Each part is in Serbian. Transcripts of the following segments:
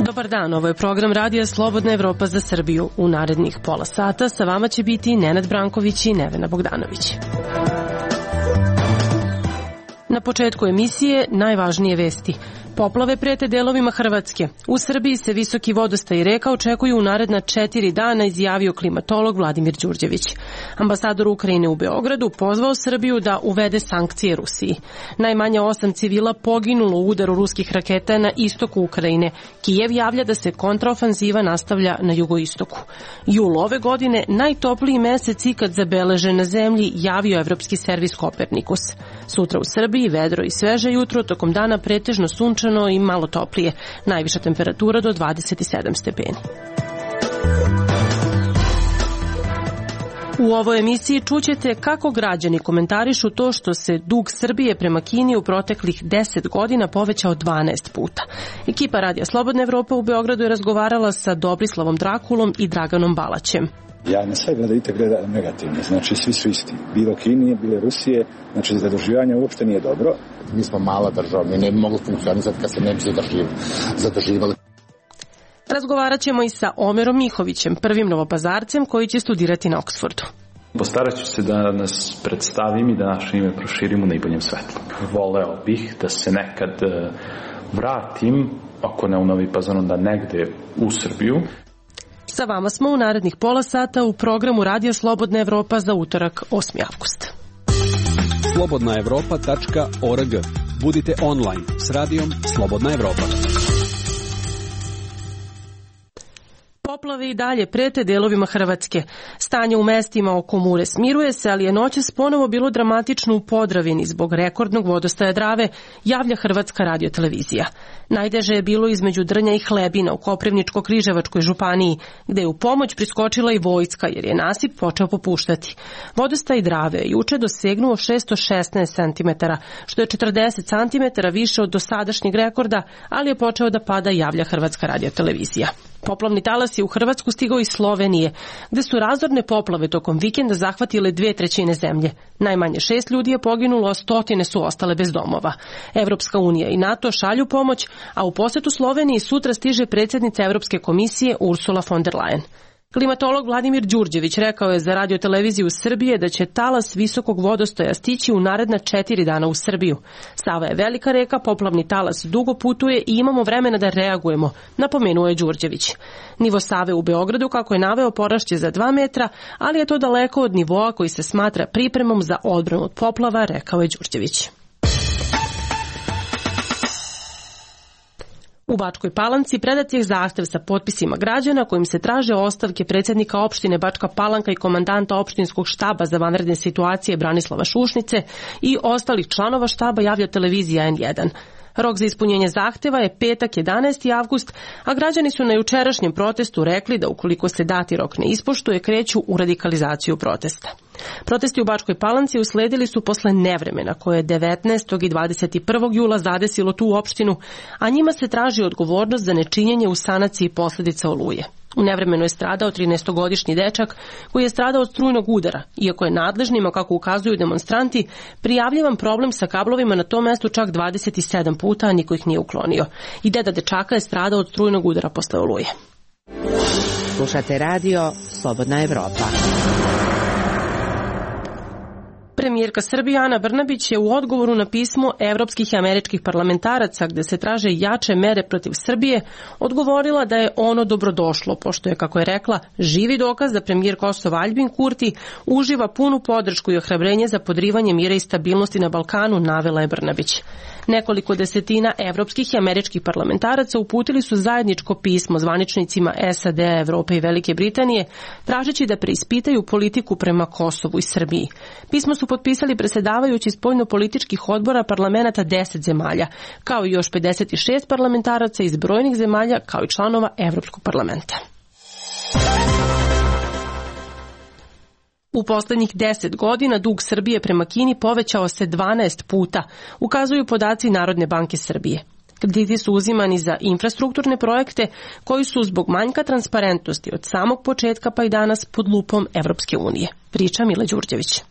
Dobar dan, ovo je program Radija Slobodna Evropa za Srbiju. U narednih pola sata sa vama će biti Nenad Branković i Nevena Bogdanović. Na početku emisije najvažnije vesti. Poplave prete delovima Hrvatske. U Srbiji se visoki vodostaj reka očekuju u naredna 4 dana, izjavio klimatolog Vladimir Đurđević. Ambasador Ukrajine u Beogradu pozvao Srbiju da uvede sankcije Rusiji. Najmanje 8 civila poginulo u udaru ruskih raketa na istoku Ukrajine. Kijev javlja da se kontraofanziva nastavlja na jugoistoku. Jul ove godine najtopliji mesec ikad zabeležen na zemlji, javio Evropski servis Kopernikus. Sutra u Srbiji vedro i sveže jutro, tokom dana pretežno sunčano i malo toplije. Najviša temperatura do 27 stepeni. U ovoj emisiji čućete kako građani komentarišu to što se dug Srbije prema Kini u proteklih 10 godina povećao 12 puta. Ekipa Radija Slobodna Evropa u Beogradu je razgovarala sa Dobrislavom Drakulom i Draganom Balaćem. Ja na sve gleda negativno, znači svi su isti. Bilo Kinije, bilo Rusije, znači zaduživanje uopšte nije dobro. Mi smo mala država, mi ne bi mogli funkcionisati kad se ne bi zaduživali. Razgovarat ćemo i sa Omerom Mihovićem, prvim novopazarcem koji će studirati na Oksfordu. Postarat ću se da nas predstavim i da naše ime proširim u najboljem svetlu. Voleo bih da se nekad vratim, ako ne u Novi Pazar, onda negde u Srbiju. Sa vama smo u narednih pola sata u programu Radija Slobodna Evropa za utorak 8. avgust. slobodnaevropa.org. Budite online s radijom Slobodna Evropa. Poplave i dalje prete delovima Hrvatske. Stanje u mestima oko Mure smiruje se, ali je noćas ponovo bilo dramatično u Podravini zbog rekordnog vodostaja Drave, javlja Hrvatska radiotelevizija. Najteže je bilo između Drnja i Hlebina u Koprivničko-Križevačkoj županiji, gde je u pomoć priskočila i vojska jer je nasip počeo popuštati. Vodostaj Drave je juče dosegnuo 616 cm, što je 40 cm više od dosadašnjeg rekorda, ali je počeo da pada, javlja Hrvatska radiotelevizija. Poplavni talas je u Hrvatsku stigao iz Slovenije, gde su razorne poplave tokom vikenda zahvatile 2/3 zemlje. Najmanje 6 ljudi je poginulo, a stotine su ostale bez domova. Evropska unija i NATO šalju pomoć, a u posetu Sloveniji sutra stiže predsjednica Evropske komisije Ursula von der Leyen. Klimatolog Vladimir Đurđević rekao je za radioteleviziju Srbije da će talas visokog vodostaja stići u naredna 4 dana u Srbiju. Sava je velika reka, poplavni talas dugo putuje i imamo vremena da reagujemo, napomenuo je Đurđević. Nivo Save u Beogradu, kako je naveo, porašće za 2 metra, ali je to daleko od nivoa koji se smatra pripremom za odbranu od poplava, rekao je Đurđević. U Bačkoj Palanci predat je zahtev sa potpisima građana kojim se traže ostavke predsjednika opštine Bačka Palanka i komandanta opštinskog štaba za vanredne situacije Branislava Šušnice i ostalih članova štaba, javlja televizija N1. Rok za ispunjenje zahteva je petak 11. avgust, a građani su na jučerašnjem protestu rekli da ukoliko se dati rok ne ispoštuje, kreću u radikalizaciju protesta. Protesti u Bačkoj Palanci usledili su posle nevremena koje je 19. i 21. jula zadesilo tu opštinu, a njima se traži odgovornost za nečinjenje u sanaciji posljedica oluje. U nevremenu je stradao 13-godišnji dečak koji je stradao od strujnog udara, iako je nadležnima, kako ukazuju demonstranti, prijavljivan problem sa kablovima na tom mestu čak 27 puta, a niko ih nije uklonio. I deda dečaka je stradao od strujnog udara posle oluje. Slušate radio Slobodna Evropa. Premijerka Srbije Ana Brnabić je u odgovoru na pismo evropskih i američkih parlamentaraca gde se traže jače mere protiv Srbije odgovorila da je ono dobrodošlo, pošto je, kako je rekla, živi dokaz da premijer Kosova Aljbin Kurti uživa punu podršku i ohrabrenje za podrivanje mira i stabilnosti na Balkanu, navela je Brnabić. Nekoliko desetina evropskih i američkih parlamentaraca uputili su zajedničko pismo zvaničnicima SAD, Evrope i Velike Britanije, tražeći da preispitaju politiku prema Kosovu i Srbiji. Pismo su potpisali predsjedavajući spoljnopolitičkih odbora parlamenata 10 zemalja, kao i još 56 parlamentaraca iz brojnih zemalja, kao i članova Evropskog parlamenta. U poslednjih 10 godina dug Srbije prema Kini povećao se 12 puta, ukazuju podaci Narodne banke Srbije. Krediti su uzimani za infrastrukturne projekte koji su zbog manjka transparentnosti od samog početka pa i danas pod lupom Evropske unije. Priča Mila Đurđević.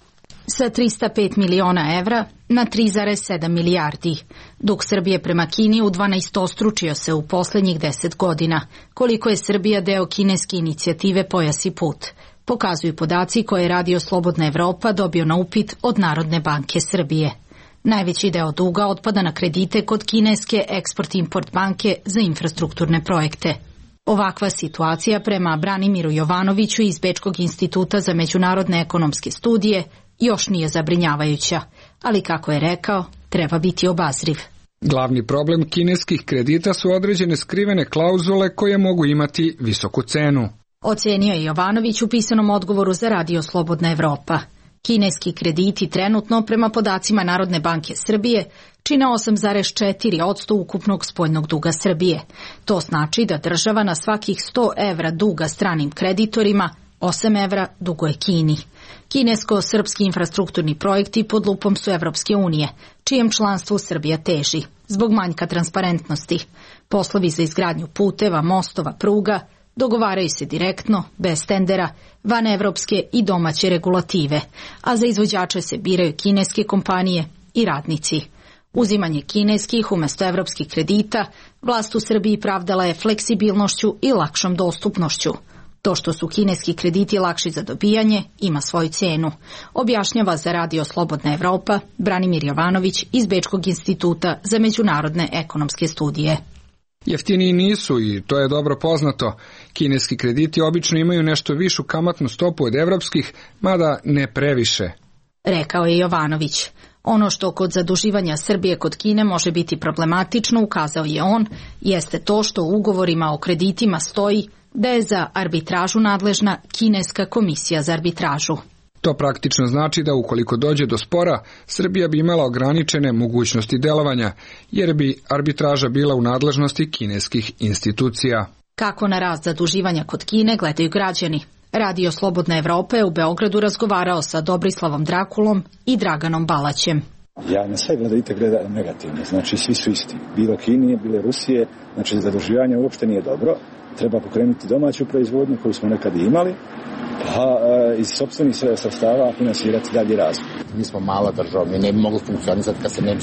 Sa 305 miliona evra na 3,7 milijardi. Dug Srbije prema Kini u 12-ostručio se u poslednjih 10 godina. Koliko je Srbija deo kineske inicijative Pojas i put? Pokazuju podaci koje je Radio Slobodna Evropa dobio na upit od Narodne banke Srbije. Najveći deo duga otpada na kredite kod kineske Eksport-Import banke za infrastrukturne projekte. Ovakva situacija prema Branimiru Jovanoviću iz Bečkog instituta za međunarodne ekonomske studije još nije zabrinjavajuća, ali kako je rekao, treba biti obazriv. Glavni problem kineskih kredita su određene skrivene klauzule koje mogu imati visoku cenu. Ocenio je Jovanović u pisanom odgovoru za Radio Slobodna Evropa. Kineski krediti trenutno, prema podacima Narodne banke Srbije, čine 8,4% ukupnog spoljnog duga Srbije. To znači da država na svakih 100 evra duga stranim kreditorima 8 evra duguje Kini. Kinesko-srpski infrastrukturni projekti pod lupom su Evropske unije, čijem članstvu Srbija teži, zbog manjka transparentnosti. Poslovi za izgradnju puteva, mostova, pruga dogovaraju se direktno, bez tendera, van evropske i domaće regulative, a za izvođače se biraju kineske kompanije i radnici. Uzimanje kineskih umesto evropskih kredita vlast u Srbiji pravdala je fleksibilnošću i lakšom dostupnošću. To što su kineski krediti lakši za dobijanje ima svoju cenu, objašnjava za Radio Slobodna Evropa Branimir Jovanović iz Bečkog instituta za međunarodne ekonomske studije. Jeftiniji nisu i to je dobro poznato. Kineski krediti obično imaju nešto višu kamatnu stopu od evropskih, mada ne previše. Rekao je Jovanović. Ono što kod zaduživanja Srbije kod Kine može biti problematično, ukazao je on, jeste to što u ugovorima o kreditima stoji da je za arbitražu nadležna Kineska komisija za arbitražu. To praktično znači da ukoliko dođe do spora, Srbija bi imala ograničene mogućnosti delovanja, jer bi arbitraža bila u nadležnosti kineskih institucija. Kako na rast zaduživanja kod Kine gledaju građani? Radio Slobodna Evropa je u Beogradu razgovarao sa Dobrislavom Drakulom i Draganom Balaćem. Ja na sve gleda negativno, znači svi su isti. Bilo Kinije, bilo Rusije, znači zaduživanje uopšte nije dobro. Treba pokrenuti domaću proizvodnju koju smo nekad imali, a iz sopstvenih sredstava finansirati dalji razvoj. Mi smo mala država, mi ne bi mogli funkcionisati kad se ne bi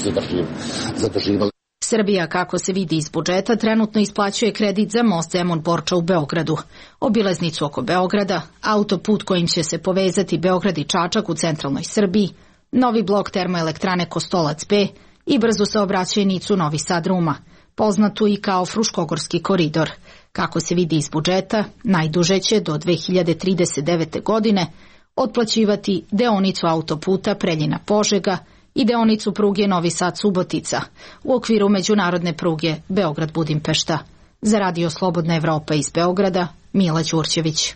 zaduživali. Srbija, kako se vidi iz budžeta, trenutno isplaćuje kredit za most Zemun-Borča u Beogradu, obilaznicu oko Beograda, autoput kojim će se povezati Beograd i Čačak u centralnoj Srbiji, novi blok termoelektrane Kostolac B i brzu saobraćajnicu Novi Sad-Ruma, poznatu i kao Fruškogorski koridor. Kako se vidi iz budžeta, najduže će do 2039. godine otplaćivati deonicu autoputa Preljina-Požega i deonicu pruge Novi Sad-Subotica u okviru međunarodne pruge Beograd-Budimpešta. Za Radio Slobodna Evropa iz Beograda, Mila Đurđević.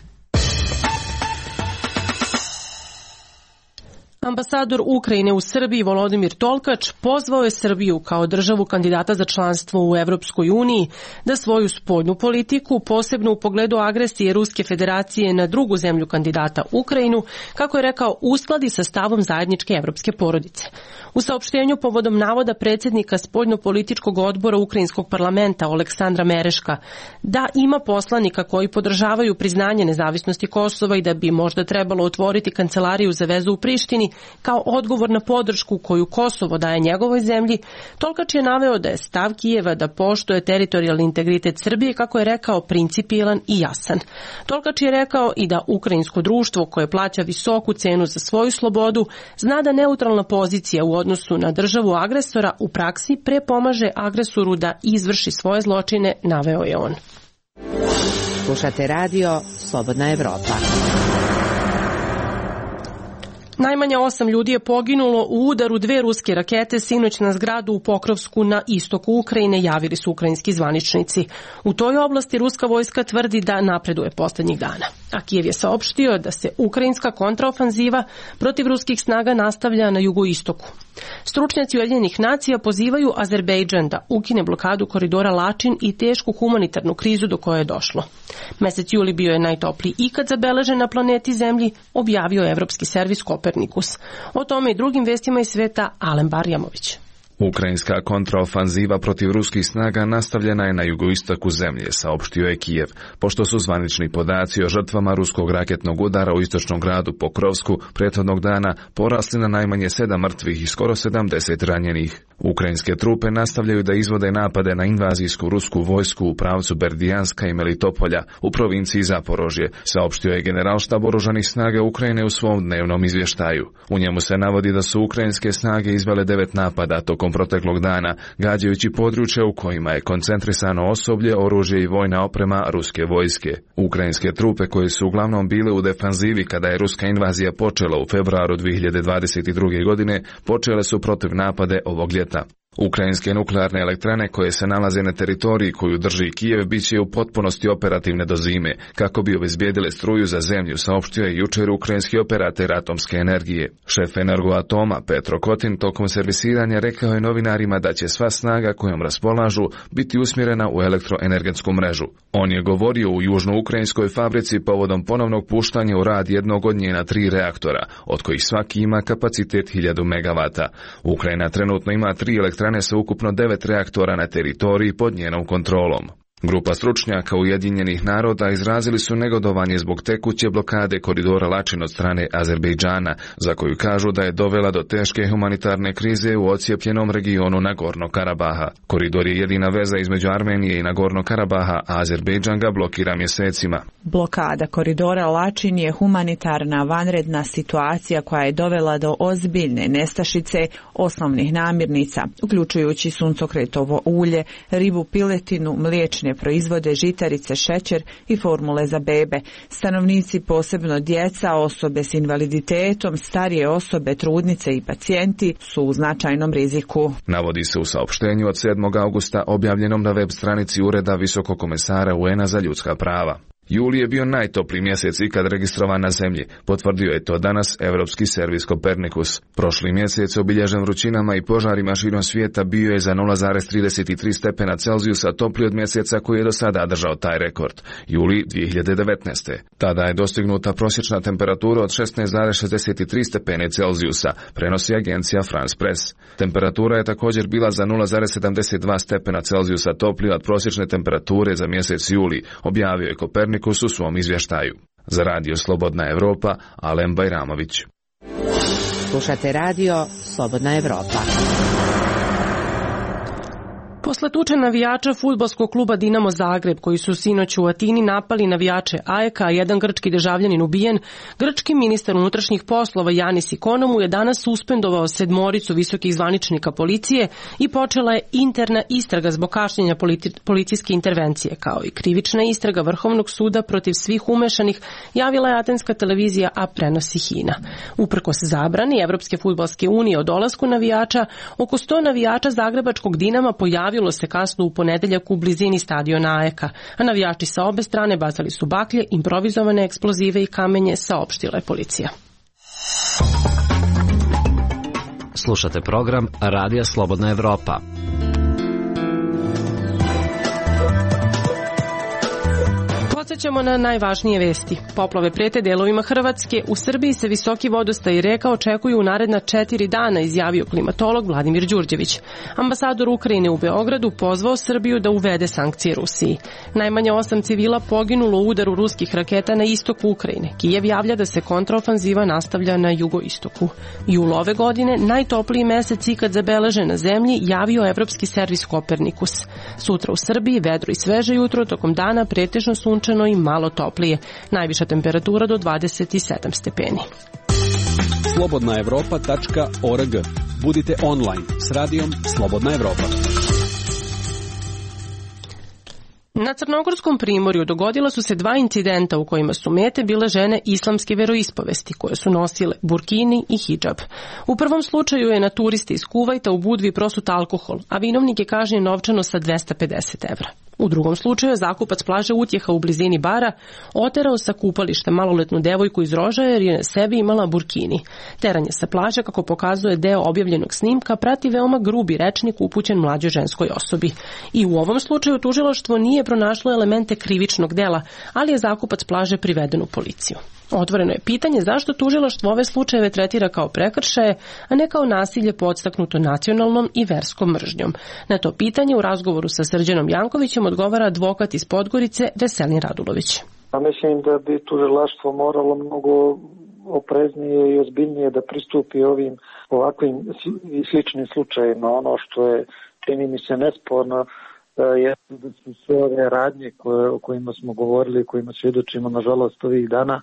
Ambasador Ukrajine u Srbiji Volodimir Tolkač pozvao je Srbiju kao državu kandidata za članstvo u Evropskoj uniji da svoju spoljnu politiku, posebno u pogledu agresije Ruske federacije na drugu zemlju kandidata Ukrajinu, kako je rekao, uskladi sa stavom zajedničke evropske porodice. U saopštenju povodom navoda predsjednika spoljno-političkog odbora Ukrajinskog parlamenta Oleksandra Mereška da ima poslanika koji podržavaju priznanje nezavisnosti Kosova i da bi možda trebalo otvoriti kancelariju za vezu u Prištini kao odgovor na podršku koju Kosovo daje njegovoj zemlji, Tolkač je naveo da je stav Kijeva da poštuje teritorijalni integritet Srbije, kako je rekao, principijelan i jasan. Tolkač je rekao i da ukrajinsko društvo koje plaća visoku cenu za svoju slobodu zna da neutralna pozicija u odnosu na državu agresora u praksi prepomaže agresoru da izvrši svoje zločine, naveo je on. Slušate Radio Slobodna Evropa. Najmanje 8 ljudi je poginulo u udaru 2 ruske rakete sinoć na zgradu u Pokrovsku na istoku Ukrajine, javili su ukrajinski zvaničnici. U toj oblasti ruska vojska tvrdi da napreduje posljednjih dana. A Kijev je saopštio da se ukrajinska kontraofanziva protiv ruskih snaga nastavlja na jugoistoku. Stručnjaci Ujedinjenih nacija pozivaju Azerbejdžan da ukine blokadu koridora Lačin i tešku humanitarnu krizu do koje je došlo. Mesec juli bio je najtopliji ikad zabeležen na planeti Zemlji, objavio evropski servis Kopernikus. O tome i drugim vestima iz sveta Alen Barjamović. Ukrajinska kontraofanziva protiv ruskih snaga nastavljena je na jugoistoku zemlje, saopštio je Kijev, pošto su zvanični podaci o žrtvama ruskog raketnog udara u istočnom gradu Pokrovsku prethodnog dana porasli na najmanje 7 mrtvih i skoro 70 ranjenih. Ukrajinske trupe nastavljaju da izvode napade na invazijsku rusku vojsku u pravcu Berdijanska i Melitopolja u provinciji Zaporožje, saopštio je generalštab oružanih snaga Ukrajine u svom dnevnom izvještaju. U njemu se navodi da su ukrajinske snage izvele 9 napada tokom proteklog dana, gađajući područja u kojima je koncentrisano osoblje, oružje i vojna oprema ruske vojske. Ukrajinske trupe, koje su uglavnom bile u defanzivi kada je ruska invazija počela u februaru 2022. godine, počele su protiv napade ovog ljeta. Ukrajinske nuklearne elektrane koje se nalaze na teritoriji koju drži Kijev bit će u potpunosti operativne do zime, kako bi obezbijedile struju za zemlju, saopštio je jučer ukrajinski operater atomske energije. Šef Energoatoma Petro Kotin tokom servisiranja rekao je novinarima da će sva snaga kojom raspolažu biti usmjerena u elektroenergetsku mrežu. On je govorio u južnoukrajinskoj fabrici povodom ponovnog puštanja u rad jednog od njena 3 reaktora, od kojih svaki ima kapacitet 1000 MW. Ukrajina trenutno ima 3 elektrane sa ukupno 9 reaktora na teritoriji pod njenom kontrolom. Grupa stručnjaka Ujedinjenih naroda izrazili su negodovanje zbog tekuće blokade koridora Lačin od strane Azerbejdžana, za koju kažu da je dovela do teške humanitarne krize u ocijepljenom regionu Nagorno Karabaha. Koridor je jedina veza između Armenije i Nagorno Karabaha, a Azerbejdžan ga blokira mjesecima. Blokada koridora Lačin je humanitarna vanredna situacija koja je dovela do ozbiljne nestašice osnovnih namirnica, uključujući suncokretovo ulje, ribu, piletinu, mliječne proizvode, žitarice, šećer i formule za bebe. Stanovnici, posebno djeca, osobe s invaliditetom, starije osobe, trudnice i pacijenti su u značajnom riziku. Navodi se u saopštenju od 7. augusta objavljenom na web stranici Ureda Visokog komesara UN-a za ljudska prava. Juli je bio najtopliji mjesec ikad registrovan na zemlji, potvrdio je to danas Europski servis Kopernikus. Prošli mjesec obilježen vrućinama i požarima širom svijeta bio je za 0,33 stepena Celzijusa topliji od mjeseca koji je do sada držao taj rekord, juli 2019. Tada je dostignuta prosječna temperatura od 16,63 stepene Celzijusa, prenosi agencija France Press. Temperatura je također bila za 0,72 stepena Celzijusa toplija od prosječne temperature za mjesec juli, objavio je Kopernikus u svom izvještaju. Za Radio Slobodna Evropa, Alen Bajramović. Slušate Radio Slobodna Evropa. Posle tuče navijača fudbalskog kluba Dinamo Zagreb, koji su sinoć u Atini napali navijače AEK-a, jedan grčki državljanin ubijen, grčki ministar unutrašnjih poslova Janis Ikonomou je danas suspendovao 7 visokih zvaničnika policije i počela je interna istraga zbog kašnjenja policijske intervencije, kao i krivična istraga Vrhovnog suda protiv svih umešanih, javila je atenska televizija, a prenosi HINA. Uprkos zabrani Evropske fudbalske unije o dolasku navijača, oko 100 navijača zagrebačkog Dinama pojavilo se kasno u ponedeljak u blizini stadiona AEK-a, a navijači sa obe strane bacali su baklje, improvizovane eksplozive i kamenje, saopštila je policija. Slušate program Radija Slobodna Evropa. Podsjećamo na najvažnije vesti. Poplave prete delovima Hrvatske. U Srbiji se visoki vodostaj reka očekuju u naredna 4 dana, izjavio klimatolog Vladimir Đurđević. Ambasador Ukrajine u Beogradu pozvao Srbiju da uvede sankcije Rusiji. Najmanje 8 civila poginulo u udaru ruskih raketa na istoku Ukrajine. Kijev javlja da se kontraofanziva nastavlja na jugoistoku. Jul ove godine, najtopliji mesec ikad zabeležen na zemlji, javio Evropski servis Kopernikus. Sutra u Srbiji vedro i sveže jutro, tokom dana pretežno sunčano i malo toplije. Najviša temperatura do 27 stepeni. slobodnaevropa.org. Budite online s radijom Slobodna Evropa. Na Crnogorskom primorju dogodila su se 2 incidenta u kojima su mete bile žene islamske veroispovesti koje su nosile burkini i hidžab. U prvom slučaju je na turiste iz Kuvajta u Budvi prosut alkohol, a vinovnik je kažnjen novčano sa 250 evra. U drugom slučaju je zakupac plaže Utjeha u blizini bara oterao sa kupališta maloletnu devojku iz Rožaja jer je na sebi imala burkini. Teranje sa plaže, kako pokazuje deo objavljenog snimka, prati veoma grubi rečnik upućen mlađoj ženskoj osobi. I u ovom slučaju tužilaštvo nije pronašlo elemente krivičnog dela, ali je zakupac plaže priveden u policiju. Otvoreno je pitanje zašto tužilaštvo ove slučajeve tretira kao prekršaje, a ne kao nasilje podstaknuto nacionalnom i verskom mržnjom. Na to pitanje u razgovoru sa Srđanom Jankovićem odgovara advokat iz Podgorice Veselin Radulović. Mislim da bi tužilaštvo moralo mnogo opreznije i ozbiljnije da pristupi ovakvim i sličnim slučajima. Ono što je, čini mi se, nesporno je da su sve ove radnje o kojima smo govorili, kojima svjedočimo nažalost ovih dana,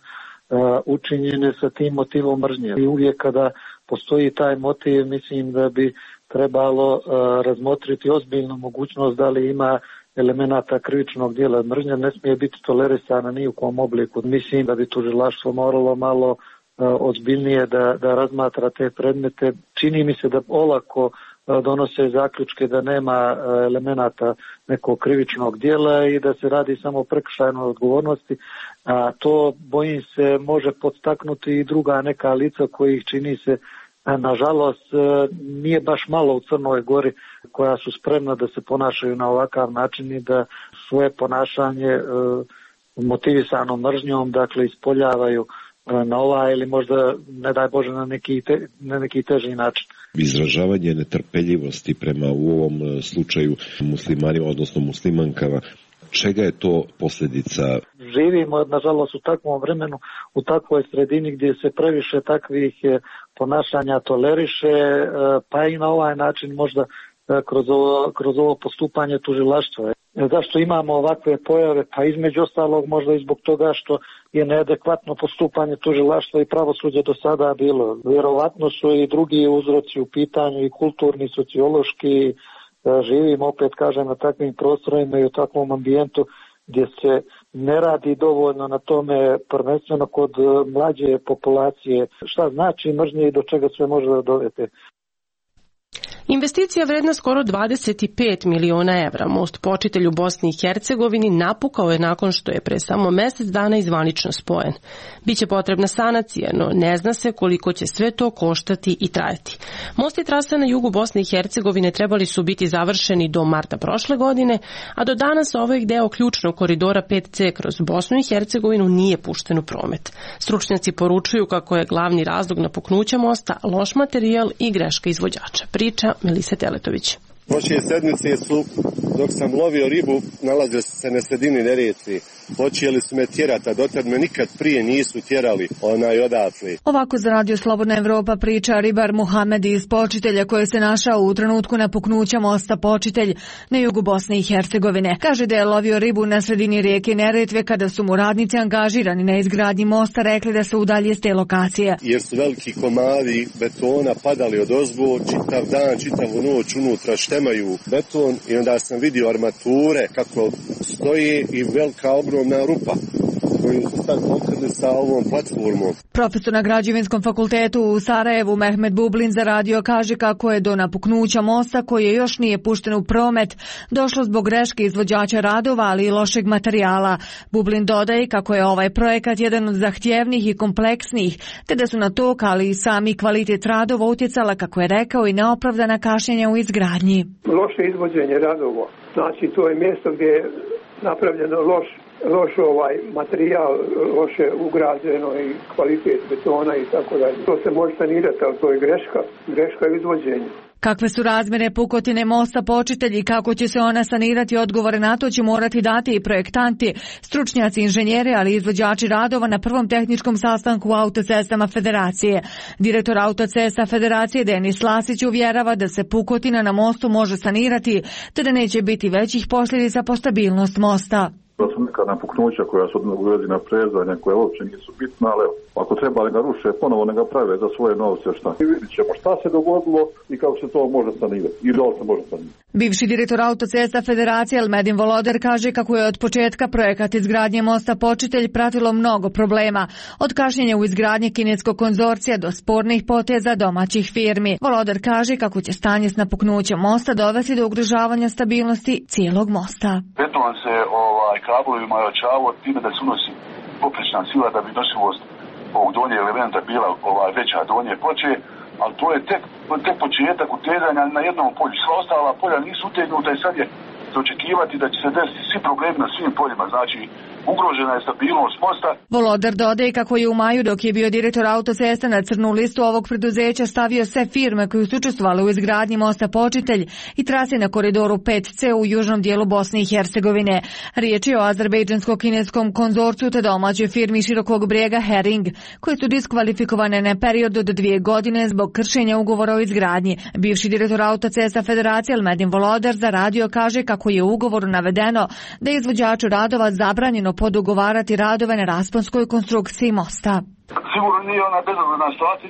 učinjene sa tim motivom mržnje. I uvijek kada postoji taj motiv, mislim da bi trebalo razmotriti ozbiljnu mogućnost da li ima elemenata krivičnog djela. Mržnja ne smije biti tolerisana ni u kom obliku. Mislim da bi tužilaštvo moralo malo ozbiljnije da razmatra te predmete. Čini mi se da olako donose zaključke da nema elemenata nekog krivičnog djela i da se radi samo o prekršajnoj odgovornosti, a to, bojim se, može podstaknuti i druga neka lica kojih, čini se, nažalost, nije baš malo u Crnoj Gori, koja su spremna da se ponašaju na ovakav način i da svoje ponašanje motivisano mržnjom, dakle, ispoljavaju na ovaj ili možda, ne daj Bože, na neki teži način. Izražavanje netrpeljivosti prema u ovom slučaju muslimanima, odnosno muslimankama, čega je to posljedica? Živimo, nažalost, u takvom vremenu, u takvoj sredini gdje se previše takvih ponašanja toleriše, pa i na ovaj način možda kroz ovo postupanje tužilaštva. Zašto imamo ovakve pojave? Pa između ostalog možda i zbog toga što je neadekvatno postupanje tužilaštva i pravosuđa do sada bilo. Vjerovatno su i drugi uzroci u pitanju, i kulturni, sociološki. Živimo, opet kažem, na takvim prostorima i u takvom ambijentu gdje se ne radi dovoljno na tome, prvenstveno kod mlađe populacije. Šta znači mržnje i do čega sve može da dovede? Investicija vredna skoro 25 miliona evra. Most Počitelj u Bosni i Hercegovini napukao je nakon što je pre samo mjesec dana i zvanično spojen. Biće potrebna sanacija, no ne zna se koliko će sve to koštati i trajati. Most i trasa na jugu Bosne i Hercegovine trebali su biti završeni do marta prošle godine, a do danas ovaj deo ključnog koridora 5C kroz Bosnu i Hercegovinu nije pušten u promet. Stručnjaci poručuju kako je glavni razlog napuknuća mosta loš materijal i greška izvođača. Priča Melise Teletović. Prošle sedmice su, dok sam lovio ribu, nalazio se na sredini Neretve. Počeli su me tjerati, a dotad me nikad prije nisu tjerali odatle. Ovako za Radio Slobodna Evropa priča ribar Muhamed iz Počitelja, koji se našao u trenutku napuknuća mosta Počitelj na jugu Bosne i Hercegovine. Kaže da je lovio ribu na sredini rijeke Neretve kada su mu radnici angažirani na izgradnji mosta rekli da se udalje s te lokacije. Jer su veliki komadi betona padali od ozgo, čitav dan, čitavu noć unutra štemaju beton i onda sam vidio armature kako stoji i velika ogromna rupa koju su sad pokrili sa ovom platformom. Profesor na Građevinskom fakultetu u Sarajevu Mehmet Bublin za radio kaže kako je do napuknuća mosta, koji još nije pušten u promet, došlo zbog greške izvođača radova, ali i lošeg materijala. Bublin dodaje kako je ovaj projekat jedan od zahtjevnih i kompleksnih, te da su na to, ali i sami kvalitet radova utjecala, kako je rekao, i neopravdana kašnjenja u izgradnji. Loše izvođenje radova, znači to je mjesto gdje je napravljeno loš materijal, loše ugrađeno i kvalitet betona i tako dalje. To se može sanirati, ali to je greška izvođenja. Kakve su razmjere pukotine mosta Počitelj i kako će se ona sanirati, odgovore na to će morati dati i projektanti, stručnjaci, inženjeri, ali i izvođači radova na prvom tehničkom sastanku u Autocestama Federacije. Direktor Autocesta Federacije Denis Lasić uvjerava da se pukotina na mostu može sanirati, te da neće biti većih posljedica po stabilnost mosta. To su neka napuknuća koja su u vezi na prezanja, koje uopće nisu bitna, ali ako treba ne ga ruše, ponovo ne ga prave za svoje novce, šta. I vidit ćemo šta se dogodilo i kako se to može sanirati. I da li se može sanirati. Bivši direktor Autocesta Federacije Elmedin Voloder kaže kako je od početka projekat izgradnje mosta Počitelj pratilo mnogo problema, od kašnjenja u izgradnji kineskog konzorcija do spornih poteza domaćih firmi. Voloder kaže kako će stanje s napuknućem mosta dovesti do ugrožavanja stabilnosti cijelog mosta. Beton se kablovima ojačavao time da se unosi poprečna sila da bi nosivost ovog donje elementa bila veća donje ploče, ali to je tek početak utezanja na jednom polju. Sva ostala polja nisu utegnuta i sad je za očekivati da će se desiti svi problemi na svim poljima. Znači, ugrožena je stabilnost mosta. Volodar dodaje kako je u maju, dok je bio direktor autocesta, na crnu listu ovog preduzeća stavio sve firme koje su učestvovale u izgradnji mosta Počitelj i trase na koridoru 5C u južnom dijelu Bosne i Hercegovine. Riječ je o azerbejdžansko-kineskom konzorciju te domaćoj firmi Širokog Brijega Hering, koje su diskvalifikovane na period od 2 godine zbog kršenja ugovora o izgradnji. Bivši direktor autocesta Federacije Elmedin Volodar za radio kaže kako je u ugovoru navedeno da je izvođaču radova zabranjeno podugovarati radove na rasponskoj konstrukciji mosta. Sigurno nije ona bezazlena situacija,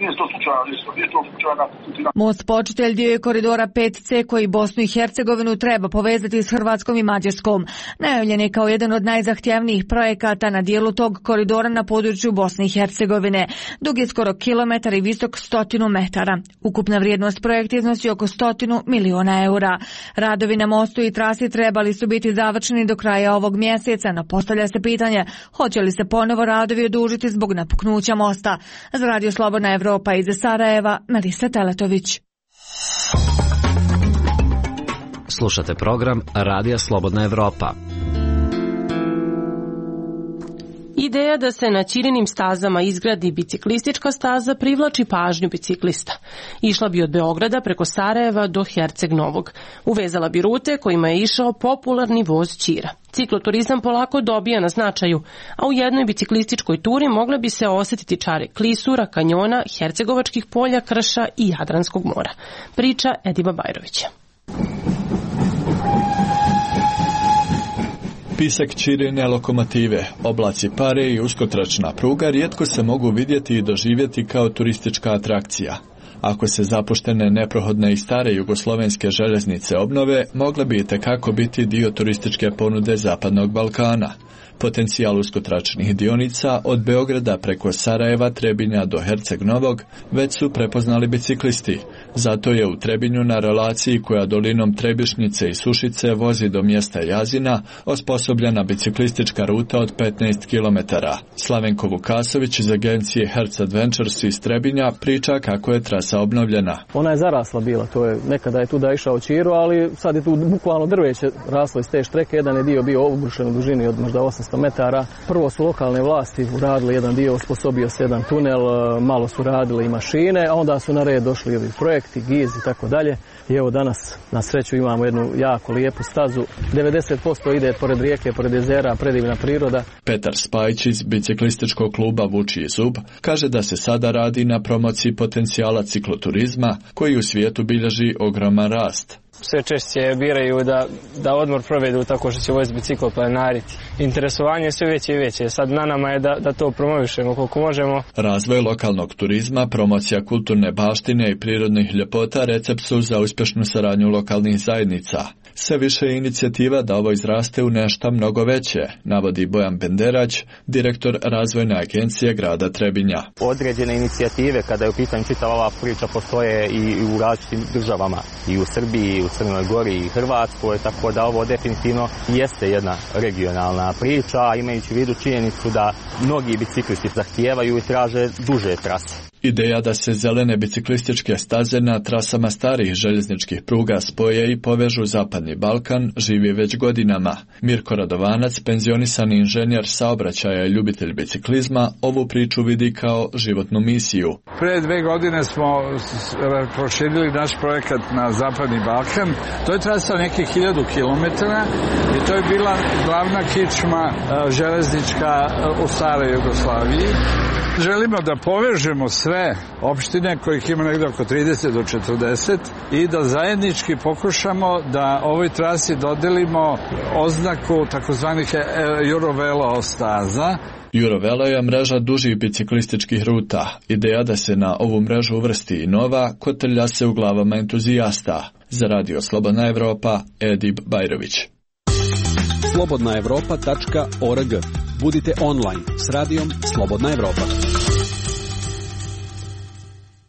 nije to slučajna putina. Most Počitelj dio je koridora 5C koji Bosnu i Hercegovinu treba povezati s Hrvatskom i Mađarskom. Najavljen je kao jedan od najzahtjevnijih projekata na dijelu tog koridora na području Bosne i Hercegovine. Dug je skoro kilometar i visok 100 metara. Ukupna vrijednost projekta iznosi oko 100 miliona eura. Radovi na mostu i trasi trebali su biti završeni do kraja ovog mjeseca, no postavlja se pitanje hoće li se ponovo radovi odužiti zbog napuknuća mosta. Za Radio Slobodna Evropa iz Sarajeva, Melisa Teletović. Slušate program Radija Slobodna Evropa. Ideja da se na Ćirinim stazama izgradi biciklistička staza privlači pažnju biciklista. Išla bi od Beograda preko Sarajeva do Herceg Novog. Uvezala bi rute kojima je išao popularni voz Ćira. Cikloturizam polako dobija na značaju, a u jednoj biciklističkoj turi mogle bi se osjetiti čare Klisura, kanjona, Hercegovačkih polja, krša i Jadranskog mora. Priča Ediba Bajrovića. Pisak Ćirine lokomotive, oblaci pare i uskotračna pruga rijetko se mogu vidjeti i doživjeti kao turistička atrakcija. Ako se zapuštene, neprohodne i stare jugoslovenske željeznice obnove, mogle bi itekako biti dio turističke ponude Zapadnog Balkana. Potencijal uskotračnih dionica od Beograda preko Sarajeva, Trebinja do Herceg Novog već su prepoznali biciklisti. Zato je u Trebinju na relaciji koja dolinom Trebišnjice i Sušice vozi do mjesta Jazina osposobljena biciklistička ruta od 15 km. Slavenko Vukasović iz agencije Hertz Adventures iz Trebinja priča kako je trasa obnovljena. Ona je zarasla bila, to je nekada je tu da išao Ćiro, ali sad je tu bukvalno drveće raslo iz te štreke, jedan je dio bio obrušen u dužini od možda 800 metara. Prvo su lokalne vlasti uradili jedan dio, osposobio se jedan tunel, malo su radile i mašine, a onda su na red došli ovi projekti, GIZ i tako dalje. I evo danas na sreću imamo jednu jako lijepu stazu. 90% ide pored rijeke, pored jezera, predivna priroda. Petar Spajić iz biciklističkog kluba Vučiji zub kaže da se sada radi na promociji potencijala cikloturizma koji u svijetu bilježi ogroman rast. Sve češće biraju da odmor provedu tako što će voziti bicikl planariti. Interesovanje je sve veće i veće. Sad na nama je da to promovišemo koliko možemo. Razvoj lokalnog turizma, promocija kulturne baštine i prirodnih ljepota recept su za uspješnu saradnju lokalnih zajednica. Sve više je inicijativa da ovo izraste u nešto mnogo veće, navodi Bojan Benderać, direktor razvojne agencije grada Trebinja. Određene inicijative, kada je u pitanju čitava ova priča, postoje i u različitim državama, i u Srbiji, i u Crnoj Gori, i Hrvatskoj, tako da ovo definitivno jeste jedna regionalna priča, imajući u vidu činjenicu da mnogi biciklisti zahtijevaju i traže duže trase. Ideja da se zelene biciklističke staze na trasama starih željezničkih pruga spoje i povežu Zapadni Balkan živi već godinama. Mirko Radovanac, penzionisani inženjer saobraćaja i ljubitelj biciklizma, ovu priču vidi kao životnu misiju. Pre 2 godine smo proširili naš projekat na Zapadni Balkan. To je trasa nekih 1000 km i to je bila glavna kičma železnička u staroj Jugoslaviji. Želimo da povežemo sve opštine kojih ima negdje oko 30 do 40 i da zajednički pokušamo da ovoj trasi dodelimo oznaku takozvanih Eurovelo staza. Eurovelo je mreža dužih biciklističkih ruta. Ideja da se na ovu mrežu uvrsti i nova kotrlja se u glavama entuzijasta. Za Radio Slobodna Evropa, Edib Bajrović. slobodnaevropa.org. Budite online s radijom Slobodna Evropa.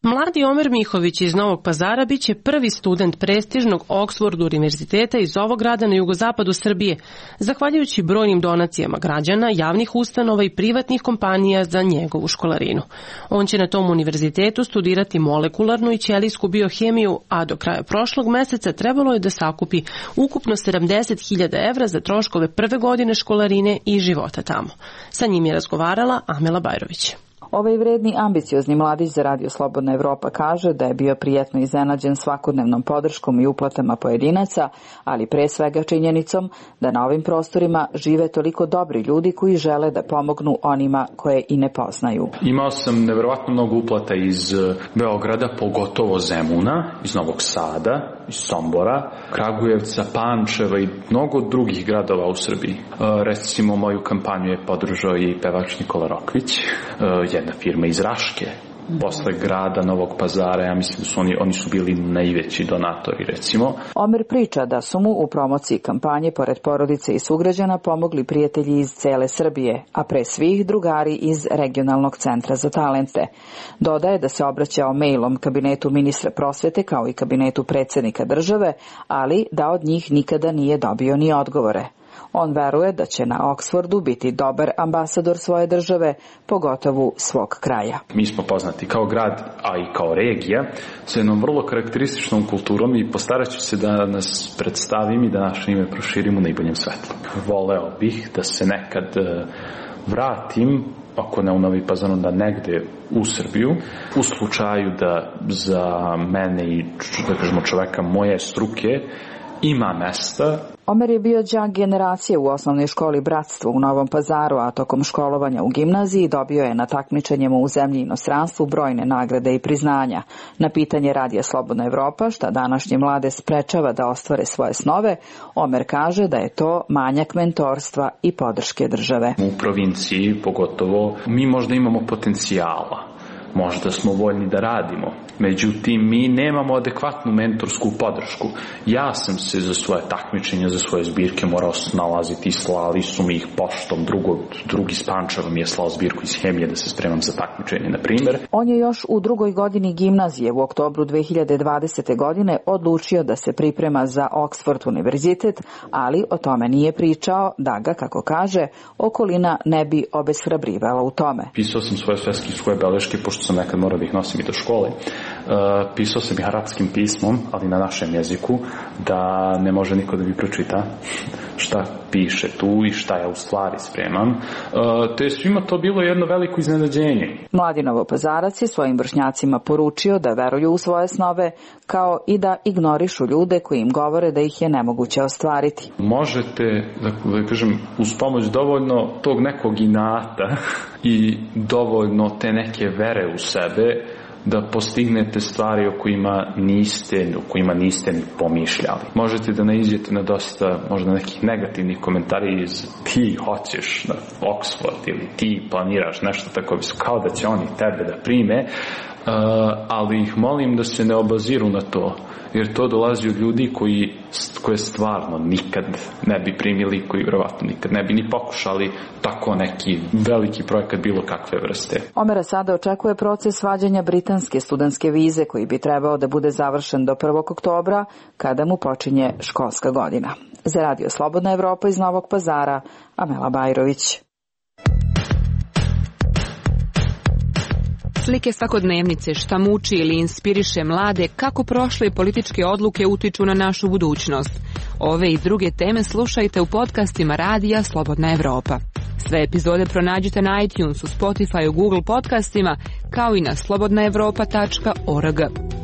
Mladi Omer Mihović iz Novog Pazara biće prvi student prestižnog Oxford univerziteta iz ovog grada na jugozapadu Srbije, zahvaljujući brojnim donacijama građana, javnih ustanova i privatnih kompanija za njegovu školarinu. On će na tom univerzitetu studirati molekularnu i ćelijsku biohemiju, a do kraja prošlog meseca trebalo je da sakupi ukupno 70.000 evra za troškove prve godine školarine i života tamo. Sa njim je razgovarala Amela Bajrović. Ovaj vredni, ambiciozni mladić za Radio Slobodna Evropa kaže da je bio prijatno iznenađen svakodnevnom podrškom i uplatama pojedinaca, ali pre svega činjenicom da na ovim prostorima žive toliko dobri ljudi koji žele da pomognu onima koje i ne poznaju. Imao sam neverovatno mnogo uplata iz Beograda, pogotovo Zemuna, iz Novog Sada, iz Sombora, Kragujevca, Pančeva i mnogo drugih gradova u Srbiji. Recimo, moju kampanju je podržao i pevač Nikola Rokvić, jedna firma iz Raške, posle grada Novog Pazara, ja mislim da su oni su bili najveći donatori, recimo. Omer priča da su mu u promociji kampanje, pored porodice i sugrađana, pomogli prijatelji iz cele Srbije, a pre svih drugari iz Regionalnog centra za talente. Dodaje da se obraćao mailom kabinetu ministra prosvete kao i kabinetu predsjednika države, ali da od njih nikada nije dobio ni odgovore. On veruje da će na Oxfordu biti dobar ambasador svoje države, pogotovo svog kraja. Mi smo poznati kao grad, a i kao regija, sa jednom vrlo karakterističnom kulturom i postarat ću se da nas predstavim i da naše ime proširim u najboljem svetlu. Voleo bih da se nekad vratim, ako ne u Novi Pazar, onda negde u Srbiju, u slučaju da za mene i, da kažemo, čoveka moje struke ima mesta. Omer je bio đak generacije u osnovnoj školi Bratstvo u Novom Pazaru, a tokom školovanja u gimnaziji dobio je na takmičenjima u zemlji i inostranstvu brojne nagrade i priznanja. Na pitanje Radija Slobodna Evropa šta današnje mlade sprečava da ostvare svoje snove, Omer kaže da je to manjak mentorstva i podrške države. U provinciji pogotovo mi možda imamo potencijala. Možda smo voljni da radimo, međutim mi nemamo adekvatnu mentorsku podršku. Ja sam se za svoje takmičenja, za svoje zbirke morao snalaziti i slali su mi ih poštom. Drugi s Pančeva mi je slao zbirku iz hemije da se spremam za takmičenje, na primjer. On je još u drugoj godini gimnazije u oktobru 2020. godine odlučio da se priprema za Oxford univerzitet, ali o tome nije pričao da ga, kako kaže, okolina ne bi obeshrabrivala u tome. Pisao sam svoje beleške, pošto sam nekad morao da ih nosim i do škole. Pisao sam ih arapskim pismom, ali na našem jeziku, da ne može niko da mi pročita šta piše tu i šta ja u stvari spremam. Te svima to bilo jedno veliko iznenađenje. Mladi Novopazarac je svojim vršnjacima poručio da veruju u svoje snove, kao i da ignorišu ljude koji im govore da ih je nemoguće ostvariti. Možete, da kažem, uz pomoć dovoljno tog nekog inata i dovoljno te neke vere u sebe, da postignete stvari o kojima niste ni pomišljali. Možete da naiđete na dosta možda nekih negativnih komentari iz ti hoćeš na Oxford ili ti planiraš nešto tako, kao da će oni tebe da prime, ali ih molim da se ne obaziru na to, jer to dolazi od ljudi koje stvarno nikad ne bi primili, koji vjerovatno nikad ne bi ni pokušali tako neki veliki projekat bilo kakve vrste. Omera sada očekuje proces vađenja britanske studentske vize koji bi trebao da bude završen do 1. oktobra kada mu počinje školska godina. Za Radio Slobodna Evropa iz Novog Pazara, Amela Bajrović. Slike svakodnevnice, šta muči ili inspiriše mlade, kako prošle političke odluke utiču na našu budućnost. Ove i druge teme slušajte u podcastima Radija Slobodna Evropa. Sve epizode pronađite na iTunesu, Spotifyu, Google podcastima, kao i na slobodnaevropa.org.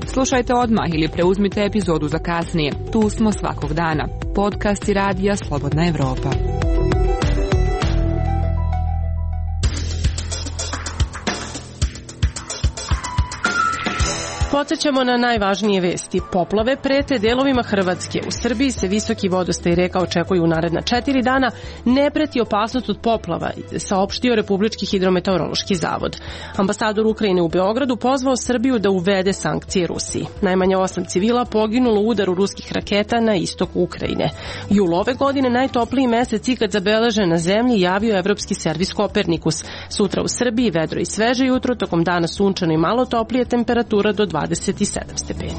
Slušajte odmah ili preuzmite epizodu za kasnije. Tu smo svakog dana. Podcasti Radija Slobodna Evropa. Podsećamo na najvažnije vesti. Poplave prete delovima Hrvatske. U Srbiji se visoki vodostaj reka očekuju u naredna 4 dana. Ne preti opasnost od poplava, saopštio Republički hidrometeorološki zavod. Ambasador Ukrajine u Beogradu pozvao Srbiju da uvede sankcije Rusiji. Najmanje 8 civila poginulo u udaru ruskih raketa na istoku Ukrajine. Jul ove godine najtopliji mesec ikad zabeležen na zemlji, javio Evropski servis Kopernikus. Sutra u Srbiji vedro i sveže jutro, tokom dana sunčano i malo toplije, temperatura do 27 stepeni.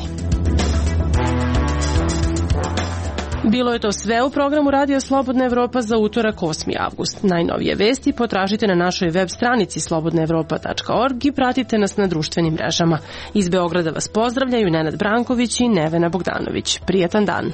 Bilo je to sve u programu Radio Slobodna Evropa za utorak 8. avgust. Najnovije vesti potražite na našoj web stranici slobodnaevropa.org i pratite nas na društvenim mrežama. Iz Beograda vas pozdravljaju Nenad Branković i Nevena Bogdanović. Prijatan dan.